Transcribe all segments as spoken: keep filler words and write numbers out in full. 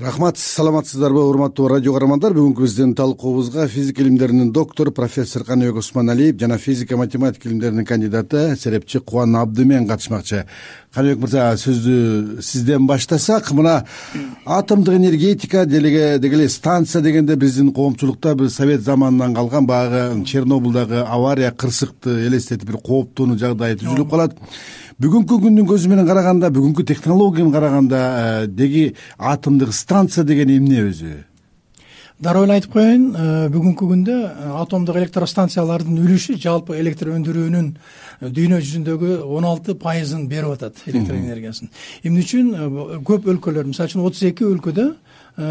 Рахмат, саламатсыздарбы урматтуу радио каармандар. Бүгүнкү биздин талкуубузга физика илимдеринин доктору профессор Каныбек Усманалиев жана физика математика илимдеринин кандидаты серепчи Кубан Абдымен катышмакчы. Каныбек мырза, сөздү сизден баштасак, мына атомдук энергетика деге эле станция дегенде биздин коомчулукта бир совет заманынан калган баягы Чернобылдагы авария кырсыкты элестетип бир кооптонуу жагдай түзүлүп калат. Бүгүнкү күндүн көзү менен караганда, бүгүнкү технологияны караганда деги атомдук станция деген эмне өзү? Дароо эле айтып коеюн, бүгүнкү күндө атомдук электростанциялардын үлүшү жалпы электр өндүрүүнүн дүйнө жүзүндөгү он алты пайызын берип атат, электр энергиясын. Эмне үчүн көп өлкөлөр, мисалы үчүн отуз эки өлкөдө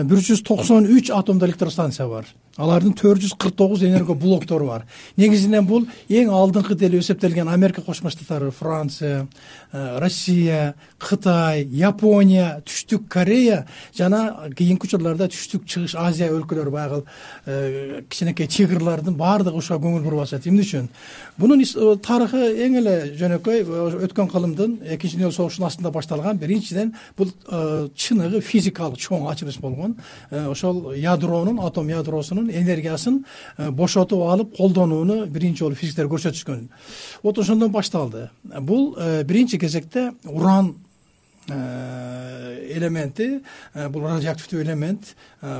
бир жүз токсон үч атомдук электростанция бар. Алардын төрт жүз кырк тогуз энерго блоктору бар. Негизинен бул эң алдыңкы деле эсептелген Америка Кошмо Штаттары, Франция, Россия, Кытай, Япония, Түштүк Корея жана кийинки учурларда Түштүк Чыгыш Азия өлкөлөрү баягы кичинекей тигрлардын баардыгы ушуга көңүл буруп атышат. Эмне үчүн? Бунун тарыхы эң эле жөнөкөй өткөн кылымдын экинчи дүйнөлүк согуштун астында башталган. Биринчиден бул чыныгы физикалык чоң ачылыш болгон. Ошол ядронун, атом ядросунун энергиясын бошотуп алып колдонууну биринчи жолу физиктер көрсөтүшкөн. Вот ошондон башталды. Бул биринчи кезекте уран элементи, бул радиоактивдүү элемент,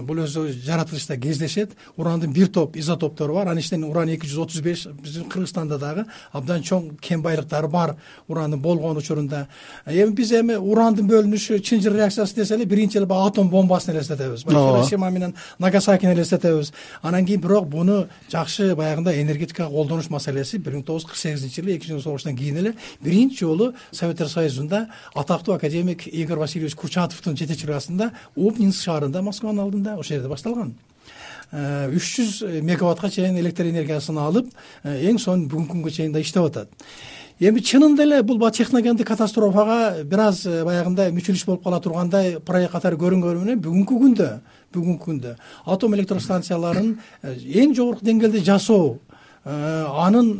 бул өзү жаратылышта кездешет. Урандын бир топ изотоптору бар. Анын ичинен уран эки жүз отуз беш, биздин Кыргызстанда дагы абдан чоң кен байлыктары бар урандын болгон учурунда. Эми биз эми урандын бөлүнүшү чынжыр реакциясы десе эле биринчи эле атом бомбасын элестетебиз. Хиросима менен Нагасакини элестетебиз. Анан кийин бирок буну жакшы баягында энергетикага колдонуш маселеси бир миң тогуз жүз кырк сегизинчи жылы экинчи дүйнөлүк согуштан кийин эле биринчи жолу Советтер Союзунда атактуу академик Игорь Васильевич Курчатовдун жетекчилиги астында Обнинск шаарында, Москванын алдында, ошол жерде башталган. үч жүз мегаваттка чейин электр энергиясын алып, эң сонун бүгүнкү күнгө чейин да иштеп атат. Эми чынында эле бул техногендик катастрофага бир аз баягында мүчүлүш болуп кала тургандай проект катары көрүнгөнү менен бүгүнкү күндө, бүгүнкү күндө атом электростанцияларын эң жогорку деңгээлде жасоо, анын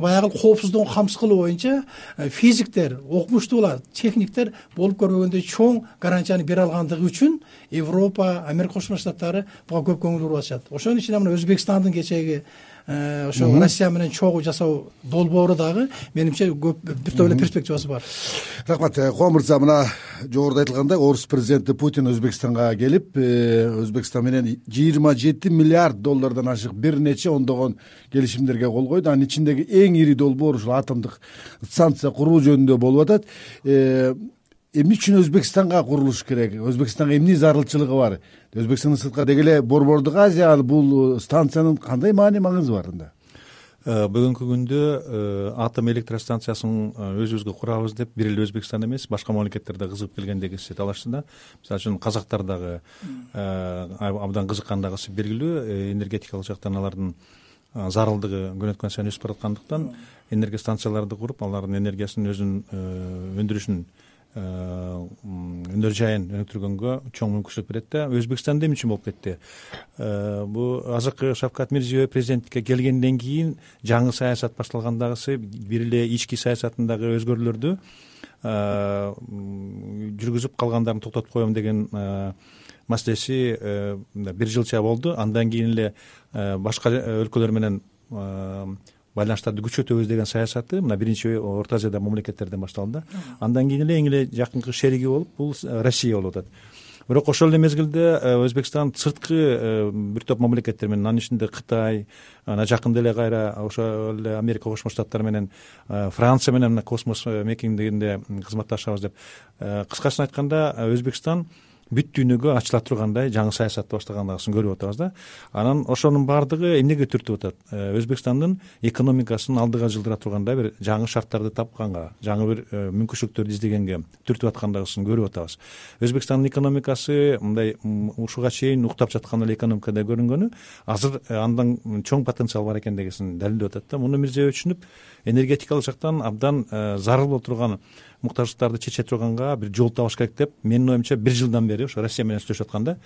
баягы коопсуздугун камсыз кылуу боюнча физиктер, окумуштуулар, техниктер болуп көрбөгөндөй чоң гарантияны бере алгандыгы үчүн Европа, Америка Кошмо Штаттары буга көп көңүл буруп атышат. Ошонун ичинде мына Өзбекстандын кечеги ошо Россия менен чогуу жасоо долбоору дагы менимче көп бир топ эле перспективасы бар. Рахмат, Кубан мырза, мына жогоруда айтылгандай орус президенти Путин Өзбекстанга келип, Өзбекстан менен жыйырма жети миллиард доллардан ашык бир нече ондогон келишимдерге кол койду. Анын ичиндеги эң ири долбоор ушул атомдук станция куруу жөнүндө болуп атат. Эмне үчүн Өзбекстанга курулуш керек? Өзбекстанга эмне зарылчылыгы бар? Өзбекстандын сыртка деги эле Борбордук Азия бул станциянын кандай маани маңызы бар анда? Бүгүнкү күндө атом электростанциясын өзүбүзгө курабыз деп бир эле Өзбекстан эмес, башка мамлекеттерде кызыгып келгендеги талашында. Мисалы үчүн казактар дагы абдан кызыккандыгы белгилүү. Энергетикалык жактан алардын зарылдыгы күн өткөн сайын өсүп бараткандыктан энергостанцияларды куруп, алардын энергиясын өзүнүн өндүрүшүн өнөр жайын өнүктүргөнгө чоң мүмкүнчүлүк берет да. Өзбекстанда эмне үчүн болуп кетти? Бул азыркы Шавкат Мирзиёев президенттикке келгенден кийин жаңы саясат башталгандагысы бир эле ички саясатындагы өзгөрүүлөрдү жүргүзүп калгандарын токтотуп коем деген маселеси бир жылча болду. Андан кийин эле башка өлкөлөр менен байланыштарды күчөтөбүз деген саясаты мына биринчи Орто Азияда мамлекеттерден башталды. Андан кийин эле эң эле жакынкы шериги болуп бул Россия болуп атат. Бирок ошол эле мезгилде Өзбекстан сырткы бир топ мамлекеттер менен, анын ичинде Кытай, анан жакында эле кайра ошол эле Америка Кошмо Штаттары менен, Франция менен космос мекендигинде кызматташабыз деп. Кыскасын айтканда, Өзбекстан бүт дүйнөгө ачыла тургандай жаңы саясатты баштагандасын көрүп атабыз да. Анан ошонун баардыгы эмнеге түртүп атат? Өзбекстандын экономикасын алдыга жылдыра тургандай бир жаңы шарттарды тапканга, жаңы бир мүмкүнчүлүктөрдү издегенге түртүп аткандыгын көрүп атабыз. Өзбекстандын экономикасы мындай ушуга чейин уктап жаткан эле экономикада көрүнгөнү азыр андан чоң потенциал бар экендигин далилдеп атат да. Муну Мирзиёев түшүнүп, энергетикалык жактан абдан зарыл болуп турган муктаждыктарды чече турганга бир жол табыш керек деп менин оюмча бир жылдан бери ошо Россия менен сүйлөшүп атканда.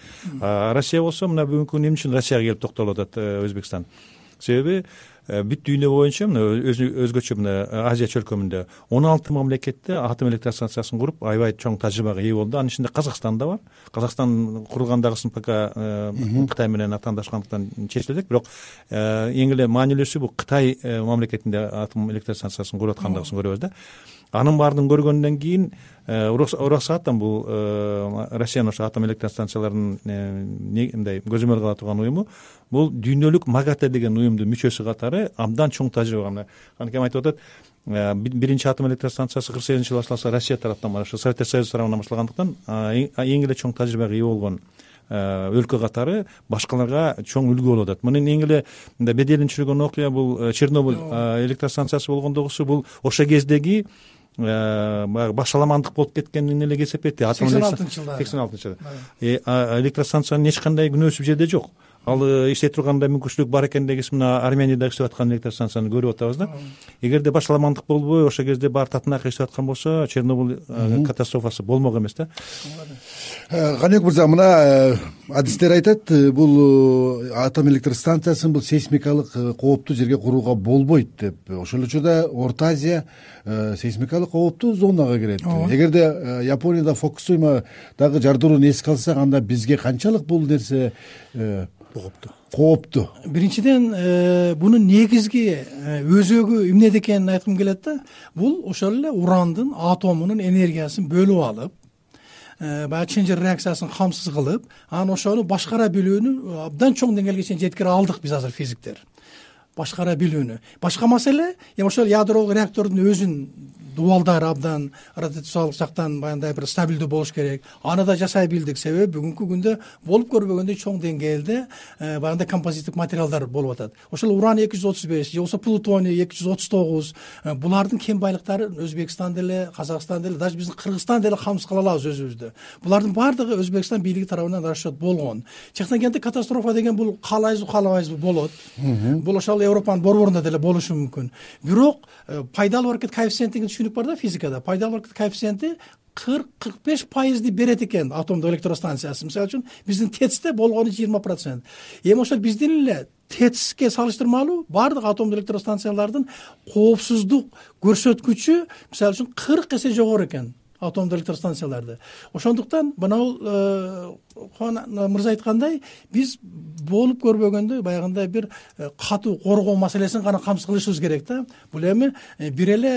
Россия болсо мына бүгүнкү күнү эмне үчүн Россияга келип токтолуп атат Өзбекстан? Себеби бүт дүйнө боюнча мына өзгөчө мына Азия чөлкөмүндө он алты мамлекетте атом электр станциясын куруп аябай чоң тажрыйбага ээ болду. Анын ичинде Казакстан да бар. Казакстан курулгандагысын пока Кытай менен атаандашкандыктан чечилет, бирок эң эле маанилүүсү бул Кытай мамлекетинде атом электр станциясын куруп аткандыгын көрөбүз да. Анын баарын көргөндөн кийин ураксааттан бул Россиянын ошо атом электр станцияларынын мындай көзөмөл кыла турган уюму бул дүйнөлүк МАГАТЭ деген уюмдун мүчөсү катары абдан чоң тажрыйба. Анткени айтып атат, биринчи атом электр станциясы кырк сегизинчи жылы башталса Россия тараптан бар, ошо Советтер Союзу тарабынан башталгандыктан эң эле чоң тажрыйбага ээ болгон өлкө катары башкаларга чоң үлгү болуп атат. Мунун эң эле мындай беделин түшүргөн окуя бул Чернобыль электр станциясы болгондогусу бул ошо кездеги баягы башаламандык болуп кеткенин эле эсептейт. сексен алтынчы жылдары сексен алтынчы жылы электр станциянын эч кандай күнөөсү бул жерде жок. Ал иштей тургандай мүмкүнчүлүк бар экен дегиси мына Арменияда иштеп аткан электр станцияны көрүп атабыз да. Эгерде башаламандык болбой ошол кезде баары татынак иштеп аткан болсо Чернобыль катастрофасы болмок эмес да. Каныбек мырза, мына адистер айтат, бул атом электр станциясын бул сейсмикалык кооптуу жерге курууга болбойт деп. Ошол учурда Орто Азия сейсмикалык кооптуу зонага кирет. Эгерде Японияда Фукусимадагы жардырууну эске алсак, анда бизге канчалык бул нерсе кооптуу? Кооптуу. Биринчиден, бунун негизги өзөгү эмнеде экенин айткым келет да. Бул ошол эле урандын атомунун энергиясын бөлүп алып, баягы чынжыр реакциясын камсыз кылып, анан ошону башкара билүүнү абдан чоң деңгээлге чейин жеткире алдык биз азыр физиктер. Башкара билүүнү. Башка маселе, эми ошол ядеролук реактордун өзүн дубалдары абдан радиациялык жактан баягындай бир стабилдүү болуш керек. Аны да жасай билдик, себеби бүгүнкү күндө болуп көрбөгөндөй чоң деңгээлде баягындай композиттик материалдар болуп атат. Ошол уран эки жүз отуз беш же болбосо плутоний эки жүз отуз тогуз, булардын кен байлыктары Өзбекстан деле, Казакстан деле, даже биздин Кыргызстан деле камсыз кыла алабыз өзүбүздү. Булардын баардыгы Өзбекстан бийлиги тарабынан расчет болгон. Чыккан кезде катастрофа деген бул каалайбызбы, каалабайбызбы болот. Бул ошол Европанын борборунда деле болушу мүмкүн. Бирок пайдалуу аракет коэффициенти деген бар да физикада. Пайдалуу аракет коэффициенти кырк кырк беш пайызды берет экен атомдук электростанциясы. Мисалы үчүн биздин ТЭЦте болгону жыйырма процент. Эми ошол биздин эле ТЭЦке салыштырмалуу баардык атомдук электростанциялардын коопсуздук көрсөткүчү мисалы үчүн кырк эсе жогору экен атомдук электростанцияларды. Ошондуктан мына Хуан мырза айткандай, биз болуп көрбөгөндөй баягындай бир катуу коргоо маселесин гана камсыз кылышыбыз керек да. Бул эми бир эле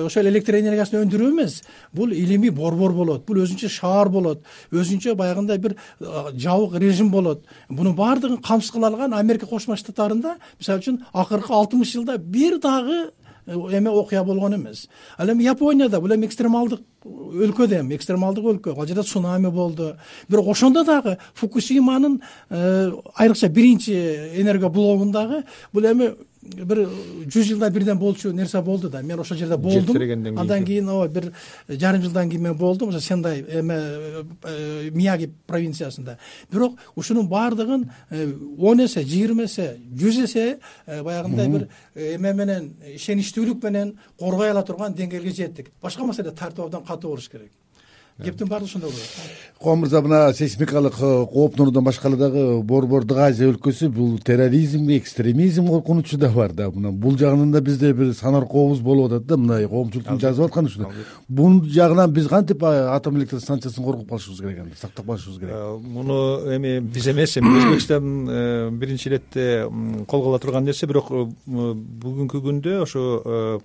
ошол электр энергиясын өндүрүү эмес, бул илимий борбор болот, бул өзүнчө шаар болот, өзүнчө баягындай бир жабык режим болот. Бунун баардыгын камсыз кыла алган Америка Кошмо Штаттарында мисалы үчүн акыркы алтымыш жылда бир дагы эме окуя болгон эмес. Ал эми Японияда бул эми экстремалдык өлкө да эми экстремалдык өлкө. Ал жерде цунами болду. Бирок ошондо дагы Фукусиманын айрыкча биринчи энерго блогундагы бул эми бир жүз жылда бирден болчу нерсе болду да. Мен ошол жерде болдум. Андан кийин ооба бир жарым жылдан кийин мен болдум. Ошо Сендай эме Мияги провинциясында. Бирок ушунун баардыгын он эсе, жыйырма эсе, жүз эсе баягындай бир эме менен ишеничтүүлүк менен коргой ала турган деңгээлге жеттик. Башка маселе тартып абдан катуу болуш керек. Кептин баардыгы ошондой болот. Хуан мырза, мына сейсмикалык кооптунуудан башка дагы борбордук Азия өлкөсү бул терроризмге, экстремизм коркунучу да бар да. Мына бул жагынан да бизде бир санаркообуз болуп атат да, мына коомчулуктун жазып атканы ушунда. Бул жагынан биз кантип атом электр станциясын коргоп калышыбыз керек экен, сактап калышыбыз керек? Муну эми биз эмес, эми Өзбекстан биринчи иретте колго ала турган нерсе, бирок бүгүнкү күндө ошо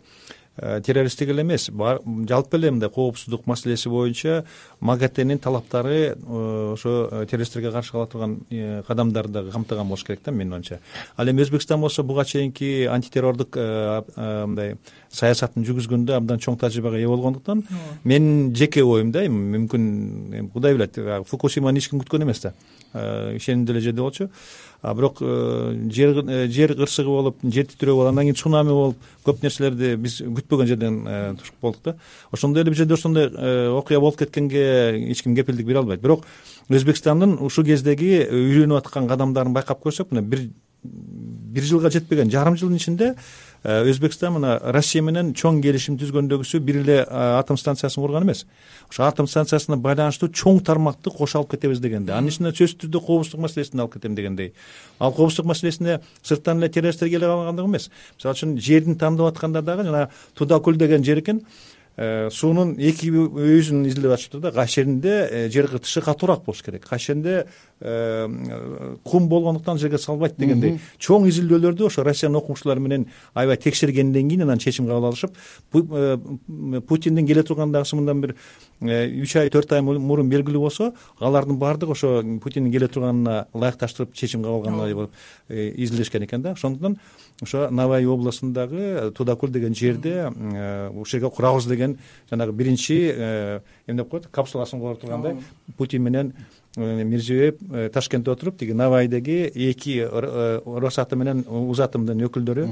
террористтик эле эмес, жалпы эле мындай коопсуздук маселеси боюнча МАГАТЭнин талаптары ошо террористтерге каршы ала турган кадамдарды дагы камтыган болуш керек да, менин оюмча. Ал эми Өзбекстан болсо буга чейинки антитеррордук мындай саясатын жүргүзгөндө абдан чоң тажрыйбага ээ болгондуктан менин жеке оюм да, мүмкүн Кудай билет, Фукусиманы эч ким күткөн эмес да. Ишенимдүү эле жерде болчу. А бирок жер жер кырсыгы болуп, жер титирөө болуп, андан кийин цунами болуп, көп нерселерди биз күтпөгөн жерден тушуп болдук да. Ошондой эле бир жерде ошондой окуя болуп кеткенге эч ким кепилдик бере албайт. Бирок Өзбекстандын ушул кездеги үйрөнүп аткан кадамдарын байкап көрсөк, мына бир бир жылга жетпеген жарым жылдын ичинде Өзбекстан мына Россия менен чоң келишим түзгөндөгүсү бир эле атом станциясын курган эмес. Ошо атом станциясына байланыштуу чоң тармакты кошо алып кетебиз дегенде, анын ичинде сөзсүз түрдө коопсуздук маселесин алып кетем дегендей. Ал коопсуздук маселесине сырттан эле террористтер келе калгандык эмес. Мисалы үчүн жердин тандап атканда дагы жана Тудакул деген жер экен, суунун эки өйүзүн изилдеп атышты да. Кайсы жеринде жер кытышы катуураак болуш керек, кайсы жеринде кум болгондуктан жерге салбайт дегендей чоң изилдөөлөрдү ошо Россиянын окумуштуулары менен аябай текшергенден кийин анан чечим кабыл алышып, Путиндин келе турган дагысы мындан бир үч ай төрт ай мурун белгилүү болсо, алардын баардыгы ошо Путиндин келе турганына ылайыкташтырып чечим кабыл алганына болуп изилдешкен экен да. Ошондуктан ошо Навай областындагы Тудакул деген жерде ушул жерге курабыз деген жанагы биринчи эмне деп коет, капсуласын кура тургандай Путин менен Мирзиёев Ташкентте отуруп, тиги Навайдеги эки Росатом менен Узатомдун өкүлдөрү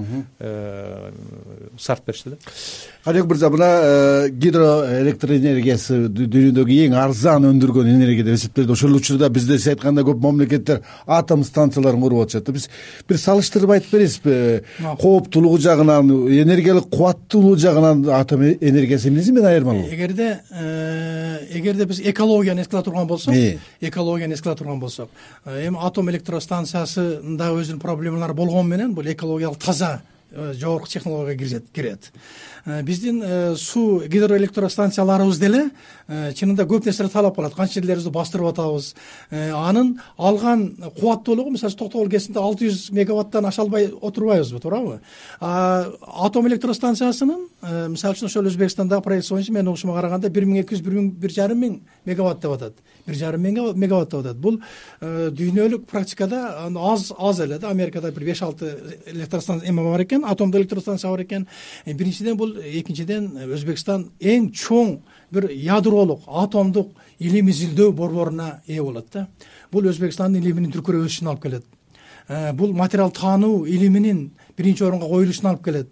сарт беришти да. Алек мырза, мына гидроэлектроэнергиясы дүйнөдөгү эң арзан өндүргөн энергия деп эсептелди. Ошол учурда бизде сиз айткандай көп мамлекеттер атом станцияларын куруп атышат. Биз бир салыштырып айтып бересизби? Кооптуулугу жагынан, энергиялык кубаттуулугу жагынан атом энергиясы эмнеси менен айырмалуу? Эгерде эгерде биз экологияны эске ала турган болсок, экологияны эске ала турган болсок, эми атом электростанциясында өзүнүн проблемалары болгону менен бул экологиялык таза жогорку технологияга кирет. Биздин суу гидроэлектростанцияларыбыз деле чынында көп нерселер талап кылат. Канча жерлерибизди бастырып атабыз. Анын алган кубаттуулугу, мисалы Токтогул КЭСинде алты жүз мегаваттан аша албай отурбайбызбы, туурабы? Атом электростанциясынын мисалы үчүн ошол Өзбекстандагы проект боюнча менин угушума караганда бир миң эки жүз бир жарым миң мегаватт деп атат. бир жарым миң мегаватт деп атат. Бул дүйнөлүк практикада аз аз эле да. Америкада бир беш алты электростанция эме бар экен, атомдук электростанция бар экен. Биринчиден бул, экинчиден Өзбекстан эң чоң бир ядролук атомдук илим изилдөө борборуна ээ болот да. Бул Өзбекстандын илиминин дүркүрөп өсүшүнө алып келет. Бул материал таануу илиминин биринчи орунга коюлушуна алып келет.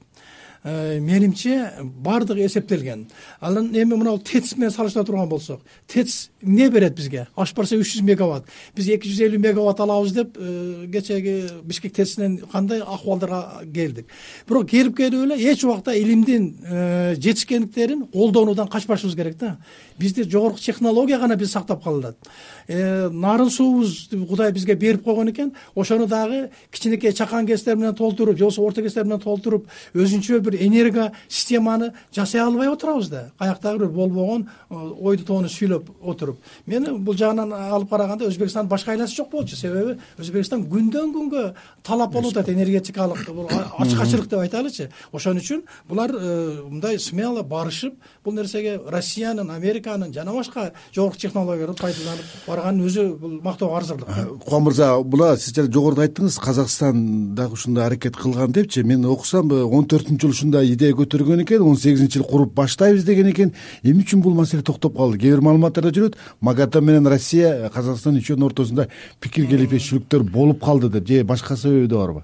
Менимче бардыгы эсептелген. Анан эми мына ТЭЦ менен салыштыра турган болсок, ТЭЦ эмне берет бизге? Аш барса үч жүз мегаватт. Биз эки жүз элүү мегаватт алабыз деп кечеги Бишкек ТЭЦинен кандай акыбалдарга келдик. Бирок келип келип эле эч убакта илимдин жетишкендиктерин колдонуудан качпашыбыз керек да. Бизде жогорку технология гана биз сактап калат. Нарын суубуз Кудай бизге берип койгон экен, ошону дагы кичинекей чакан кестер менен толтуруп, же болбосо орто кестер менен толтуруп, өзүнчө бир энерго системаны жасай албай отурабыз да. Каяктагы бир болбогон ойду тоону сүйлөп отуруп. Мен бул жагынан алып караганда Өзбекстан башка айласы жок болчу. Себеби Өзбекстан күндөн күнгө талап болуп атат энергетикалык ачкачылык деп айталычы. Ошон үчүн булар мындай смело барышып, бул нерсеге Россиянын, Американын жана башка жогорку технологияларды пайдаланып барганын өзү бул мактоого арзырлык. Куан мырза, була сиз жогоруда айттыңыз, Казакстан дагы ушундай аракет кылган депчи. Мен окусам он төртүнчү жыл ушундай идея көтөргөн экен, он сегизинчи жыл куруп баштайбыз деген экен. Эмне үчүн бул маселе токтоп калды? Кээ бир маалыматтарда жүрөт, Магата менен Россия, Казакстан үчөөнүн ортосунда пикир келишпешүүлүктөр болуп калды деп, же башка себеби да барбы?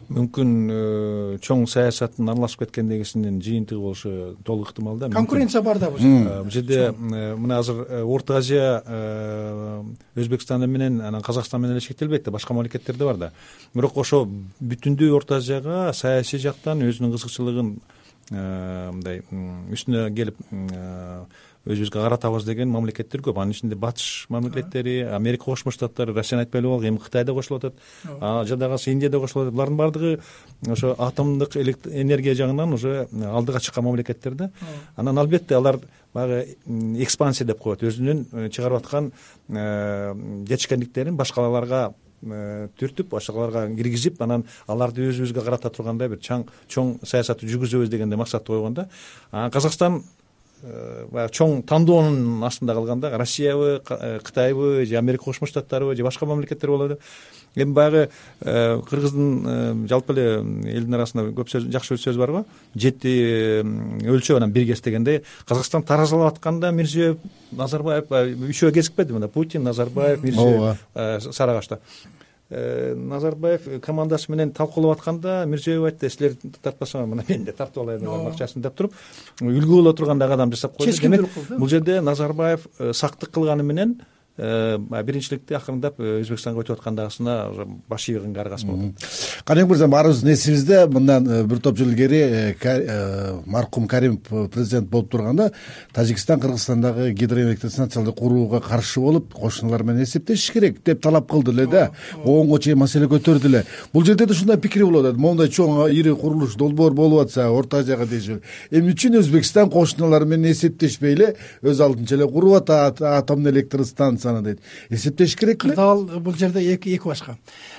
Мүмкүн чоң саясаттын аралашып кеткендегисинин жыйынтыгы болушу толук ыктымал да. Конкуренция бар да бул бул жерде. Мына азыр Орто Азия Өзбекстан менен анан Казакстан менен эле шектелбейт да, башка мамлекеттерде бар да. Бирок ошо бүтүндүү Орто Азияга саясий жактан өзүнүн кызыкчылыгын мындай үстүнө келип өзүбүзгө каратабыз деген мамлекеттер көп. Анын ичинде батыш мамлекеттери, Америка Кошмо Штаттары, Россияны айтпай эле болдук, эми Кытай да кошулуп атат, жадагысы Индия да кошулуп атат. Булардын баардыгы ошо атомдук энергия жагынан уже алдыга чыккан мамлекеттер да. Анан албетте алар баягы экспансия деп коет, өзүнүн чыгарып аткан жетишкендиктерин башкаларга түртүп, башкаларга киргизип, анан аларды өзүбүзгө карата тургандай бир чоң саясатты жүргүзөбүз дегенде максатты койгон да. Казакстан баягы чоң тандоонун астында калганда Россиябы, Кытайбы, же Америка Кошмо Штаттарыбы, же башка мамлекеттер болот. Эми баягы Кыргыздын жалпы эле элдин арасында көп сөз, жакшы сөз бар го. Жети өлчөп анан бир кес дегенде, Казакстан таразалап атканда Мирзиёев, Назарбаев үчөө кезикпеди мында. Путин, Назарбаев, Мирзиёев Сарагашта. Назарбаев командасы менен талкуулап атканда Мирзиёев айтты, силер тартпасаңар мына мен да тартып алайын акчасын деп туруп, үлгү боло тургандай адам жасап койду. Демек, бул жерде Назарбаев сактык кылганы менен биринчиликти акырындап Өзбекстанга өтүп аткандагысына баш ийгенге аргасы болот. Каныбек мырза, баарыбыздын эсибизде мындан бир топ жыл илгери маркум Каримов президент болуп турганда Тажикстан Кыргызстандагы гидроэлектростанцияларды курууга каршы болуп, кошуналар менен эсептешиш керек деп талап кылды эле да, оонго чейин маселе көтөрдү эле. Бул жерде да ушундай пикир болуп атат. Моундай чоң ири курулуш долбоор болуп атса Орто Азияга дейшип, эмне үчүн Өзбекстан кошуналары менен эсептешпей эле өз алдынча эле куруп атат атомдук электростанцияны дейт. Эсептеш керек эле. Дал бул жерде эки эки башка.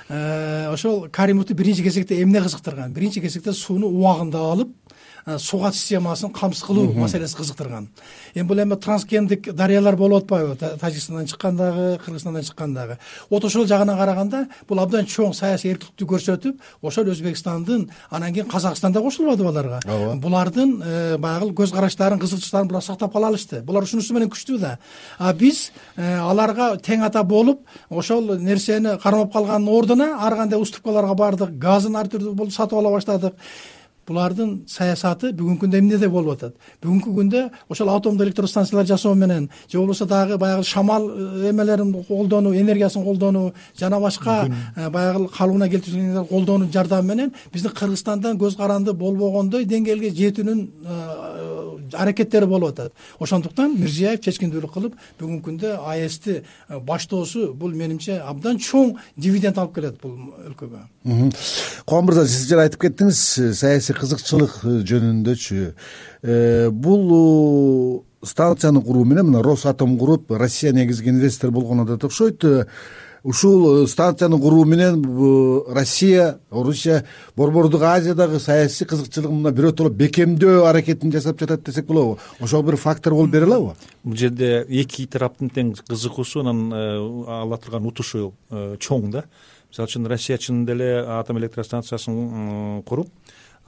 Ошол Каримовду биринчи кезекте эмне кызыктырган? Биринчи кезекте сууну убагында алып, сугат системасын камсыз кылуу маселеси кызыктырган. Эми бул эми трансгендик дарыялар болуп атпайбы? Тажикстандан чыккандагы, Кыргызстандан чыккандагы. Вот ошол жагына караганда бул абдан чоң саясий эркиндикти көрсөтүп, ошол Өзбекстандын, анан кийин Казакстанда кошулбады аларга. Булардын баягы көз караштарын, кызыкчылыктарын булар сактап кала алышты. Булар ушунусу менен күчтүү да. А биз аларга тең ата болуп, ошол нерсени кармап калгандын ордуна ар кандай уступкаларга бардык, газын ар түрдүү болуп сатып ала баштадык. Булардын саясаты бүгүнкү күндө эмнеде болуп атат? Бүгүнкү күндө ошол атомдук электростанциялар жасоо менен, же болбосо дагы баягы шамал эмелерин колдонуу, энергиясын колдонуу, жана башка баягы калыбына келтирүүнү колдонуу жардамы менен биздин Кыргызстандан көз каранды болбогондой деңгээлге жетүүнүн аракеттери болуп атат. Ошондуктан Мирзиёев чечкиндүүлүк кылып, бүгүнкү күндө А Э Сти баштоосу бул менимче абдан чоң дивиденд алып келет бул өлкөгө. Кубан мырза, сиз жана айтып кеттиңиз, саясий кызыкчылык жөнүндөчү. Бул станцияны куруу менен мына Росатом куруп, Россия негизги инвестор болгону да окшойт. Ушул станцияны куруу менен Россия, Орусия Борбордук Азиядагы саясий кызыкчылыгын мына бирөтөлөп бекемдөө аракетин жасап жатат десек болобу? Ошол бир фактор болуп бере алабы? Бул жерде эки тараптын тең кызыгуусу, анан ала турган утушу чоң да. Мисалы үчүн Россия чынында эле атом электростанциясын куруп,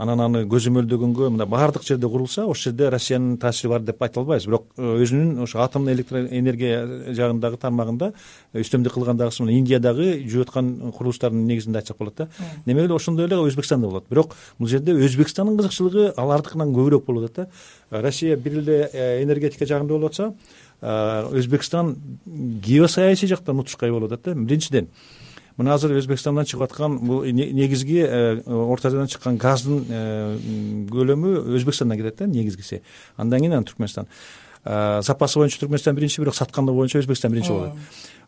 анан аны көзөмөлдөгөнгө мына баардык жерде курулса, ошол жерде Россиянын таасири бар деп айта албайбыз. Бирок өзүнүн ошо атомдук электроэнергия жагындагы тармагында үстөмдүк кылгандагысы мына Индиядагы жүрүп аткан курулуштардын негизинде айтсак болот да. Демек эле ошондой эле Өзбекстанда болот. Бирок бул жерде Өзбекстандын кызыкчылыгы алардыкынан көбүрөөк болуп атат да. Россия бир эле энергетика жагында болуп атса, Өзбекстан геосаясий жактан утушкай болуп атат да. Биринчиден, мына азыр Өзбекстандан чыгып аткан бул негизги Орто Азиядан чыккан газдын көлөмү Өзбекстандан келет да, негизгиси. Андан кийин Түркмөнстан. Запасы боюнча Түркмөнстан биринчи, бирок сатканы боюнча Өзбекстан биринчи болот.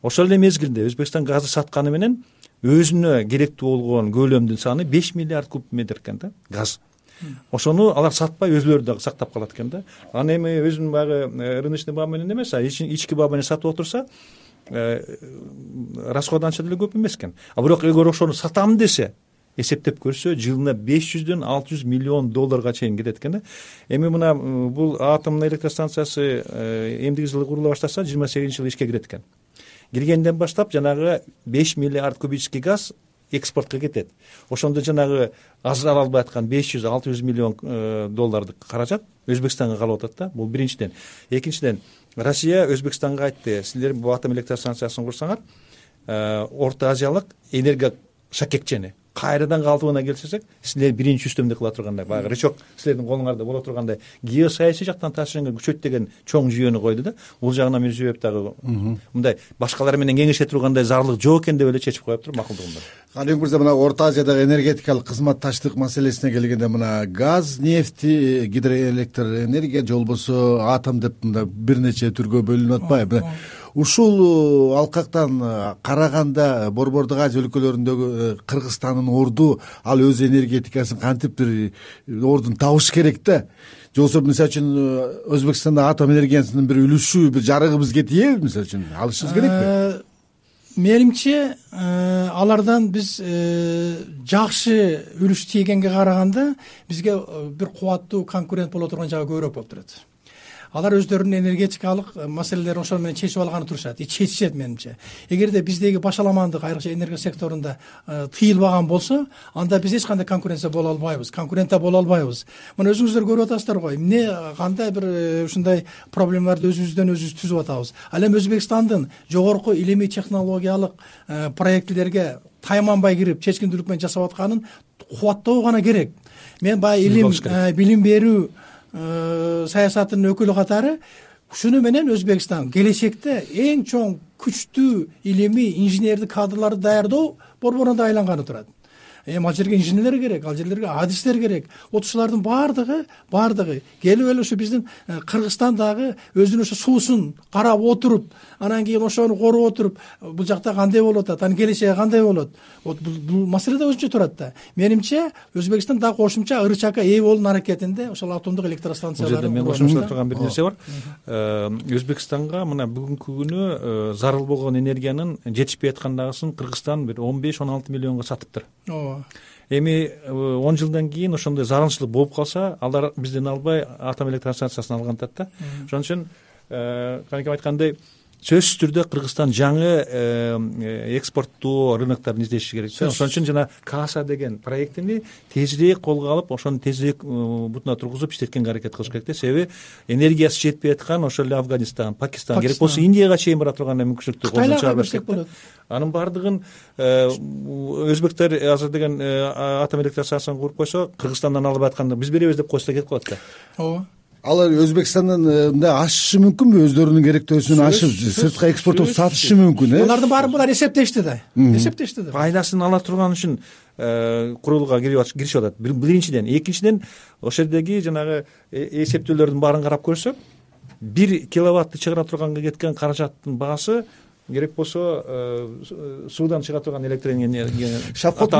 Ошол эле мезгилде Өзбекстан газды сатканы менен өзүнө керектүү болгон көлөмдүн саны беш миллиард куб метр экен да, газ. Ошону алар сатпай өзүлөрү дагы сактап калат экен да. Аны эми өзүнүн баягы рыночный баа менен эмес, а ички баа менен сатып отурса, расход анча деле көп эмес экен. А бирок эгер ошону сатам десе, эсептеп көрсө, жылына беш жүздөн алты жүз миллион долларга чейин кетет экен да. Эми мына бул атомдук электростанциясы эмдиги жылы курула баштаса, жыйырма сегизинчи жылы ишке кирет экен. Киргенден баштап жанагы беш миллиард кубический газ экспортко кетет. Ошондо жанагы ажырала албай аткан беш жүз алты жүз миллион доллардык каражат Өзбекстанга калып атат да. Бул биринчиден. Экинчиден, Россия Өзбекстанга айтты: силер бул атом электростанциясын курсаңар, Орто Азиялык энергия шакекчени кайрадан калдыбына келсек, силер биринчи үстөмдүк кыла тургандай, баягы рычаг силердин колуңарда боло тургандай геосаясий жактан таасирин күчөйт деген чоң жүйөнү койду да. Бул жагынан Мирзиёев дагы мындай башкалар менен кеңеше тургандай зарлык жок экен деп эле чечип коюп туруп макулдугунда. Каныбек мырза, мына Орто Азиядагы энергетикалык кызматташтык маселесине келгенде, мына газ, нефти, гидроэлектр энергия же болбосо атом деп мында бир нече түргө бөлүнүп атпайбы? Ушул алкактан караганда Борбордук Азия өлкөлөрүндөгү Кыргызстандын орду ал өз энергетикасын кантип бир ордун табыш керек да. Же болбосо мисалы үчүн Өзбекстанда атом энергиясынын бир үлүшү, бир жарыгыбыз кетеби, мисалы үчүн алышыбыз керекпи? Менимче алардан биз жакшы үлүш тийгенге караганда бизге бир кубаттуу конкурент боло турган жагы көбүрөөк болуп турат. Алар өздөрүнүн энергетикалык маселелерин ошол менен чечип алганы турушат, и чечишет менимче. Эгерде биздеги башаламандык, айрыкча энергия секторунда тыйылбаган болсо, анда биз эч кандай конкуренция боло албайбыз, конкурентта боло албайбыз. Мына өзүңүздөр көрүп атасыздар го, эмне кандай бир ушундай проблемаларды өзүбүздөн өзүбүз түзүп атабыз. Ал эми Өзбекстандын жогорку илимий технологиялык проектлерге тайманбай кирип, чечкиндүүлүк менен жасап атканын кубаттоо гана керек. Мен баягы илим, билим берүү саясатынын өкүлү катары ушуну менен Өзбекстан келечекте эң чоң күчтүү илимий инженердик кадрларды даярдоо борборуна айланганы турат. Эми ал жерге инженерлер керек, ал жерлерге адистер керек. Вот ушулардын баардыгы баардыгы келип эле ушу биздин Кыргызстандагы өзүнүн ошо суусун карап отуруп, анан кийин ошону коруп отуруп, бул жакта кандай болуп атат, анын келечеги кандай болот. Вот бул маселе да өзүнчө турат да. Менимче Өзбекстан дагы кошумча ырычакка ээ болуунун аракетинде ошол атомдук электростанцияларды. Мен кошумчалап турган бир нерсе бар. Өзбекстанга мына бүгүнкү күнү зарыл болгон энергиянын жетишпей аткандагысын Кыргызстан бир он беш он алты миллионго сатыптыр. Ооба. Эми он жылдан кийин ошондой зарылчылык болуп калса, алар бизден албай атом электростанциясын алган атат да. Ошон үчүн канекем айткандай, сөзсүз түрдө Кыргызстан жаңы экспорттуу рынокторун издеши керек. Ошон үчүн жана Каса деген проектини тезирээк колго алып, ошону тезирээк бутуна тургузуп иштеткенге аракет кылыш керек да. Себеби энергиясы жетпей аткан ошол эле Афганистан, Пакистан, керек болсо Индияга чейин бара турган мүмкүнчүлүктү колдон чыгара берсек болот. Анын баардыгын өзбектер азыр деген атом электростанциясын куруп койсо, Кыргызстандан алып атканда биз беребиз деп койсо кетип калат да. Ооба. Алар Өзбекстандан мындай ашышы мүмкүнбү, өздөрүнүн керектөөсүн ашып сыртка экспорттоп сатышы мүмкүн, э? Алардын баарын булар эсептешти да. Эсептешти да. Пайдасын ала турган үчүн курулууга киришип атат. Биринчиден, экинчиден ошол жердеги жанагы эсептөөлөрдүн баарын карап көрсөк, бир киловаттты чыгара турганга кеткен каражаттын баасы керек болсо суудан чыга турган электр энергия. Шавкат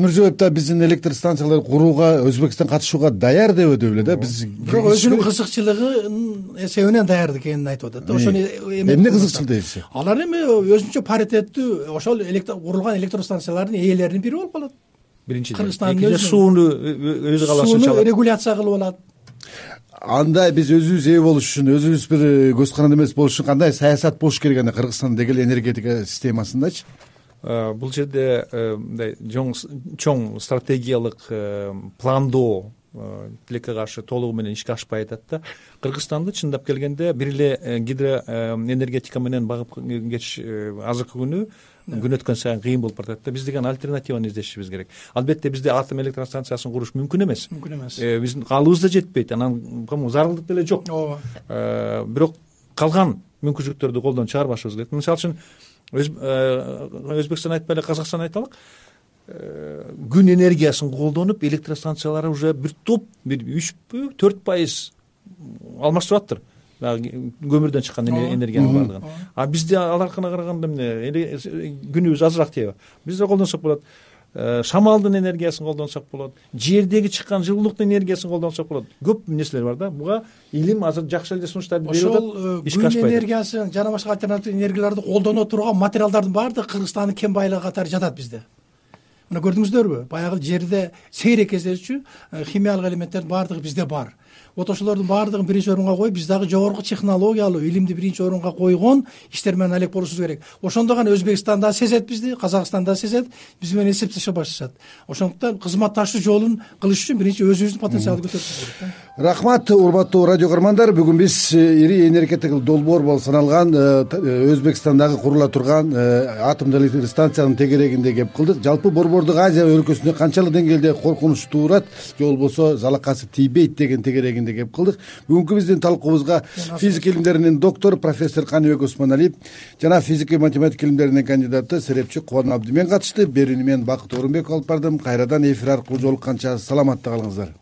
Мирзиёев да биздин электр станцияларды курууга Өзбекстан катышууга даяр деп өтүп эле да. Биз бирок өзүнүн кызыкчылыгынын эсебинен даяр экенин айтып атат да. Ошону эмне кызыкчыл дейсиз? Алар эми өзүнчө паритеттүү ошол курулган электростанциялардын ээлеринин бири болуп калат. Биринчиден. Экинчиден сууну өзү каалашынча алат. Сууну регуляция кылып алат. Анда биз өзүбүз ээ болуш үчүн, өзүбүз бир көз каранды эмес болуш үчүн кандай саясат болуш керек анда Кыргызстандын деги эле энергетика системасындачы? Бул жерде мындай чоң стратегиялык пландоо тилекке каршы толугу менен ишке ашпай атат да. Кыргызстанды чындап келгенде бир эле гидроэнергетика менен багып кетиш азыркы күнү күн өткөн сайын кыйын болуп баратат да. Биз деген альтернативаны издешибиз керек. Албетте бизде атом электростанциясын куруш мүмкүн эмес. Мүмкүн эмес. Биздин каалыбыз да жетпейт. Анан зарылдык деле жок. Ооба. Бирок калган мүмкүнчүлүктөрдү колдон чыгарбашыбыз керек. Мисалы үчүн Өзбекстан айтпай эле Казакстан айталык. Күн энергиясын колдонуп электростанциялары уже бир топ бир үчпү төрт пайыз алмаштырып аттыр. Көмүрдөн чыккан энергиянын баардыгын. А бизде аларкына караганда эмне күнүбүз азыраак тийби. Бизде колдонсок болот. Шамалдын энергиясын колдонсок болот. Жердеги чыккан жылуулуктун энергиясын колдонсок болот. Көп нерселер бар да. Буга илим азыр жакшы эле сунуштарды берип атат. Ошол күн энергиясын жана башка альтернатив энергияларды колдоно турган материалдардын баардыгы Кыргызстандын кен байлыгы катары жатат бизде. Мына көрдүңүздөрбү? Баягы жерде сейрек кездешчү химиялык элементтердин баардыгы бизде бар. Вот ошолордун баардыгын биринчи орунга коюп, биз дагы жогорку технологиялуу илимди биринчи орунга койгон иштер менен алек болушубуз керек. Ошондо гана Өзбекстан да сезет бизди, Казакстан да сезет, биз менен эсептеше башташат. Ошондуктан кызматташуу жолун кылыш үчүн биринчи өзүбүздүн потенциалды көтөрүшүбүз керек да. Рахмат, урматтуу радио көрөрмандар. Бүгүн биз ири энергетикалык долбоор болуп саналган Өзбекстандагы курула турган атомдук электростанциянын тегерегинде кеп кылдык. Жалпы Борбордук Азия өлкөсүндө канчалык деңгээлде коркунуч туурат же болбосо залакасы тийбейт деген тегерегинде кеп кылдык. Бүгүнкү биздин талкуубузга физика илимдеринин доктору профессор Каныбек Осмоналиев жана физика математика илимдеринин кандидаты серепчи Кубан Абдимен катышты. Берүүнү мен Бакыт Орунбеков алып бардым. Кайрадан эфир аркылуу жолукканча саламатта калыңыздар.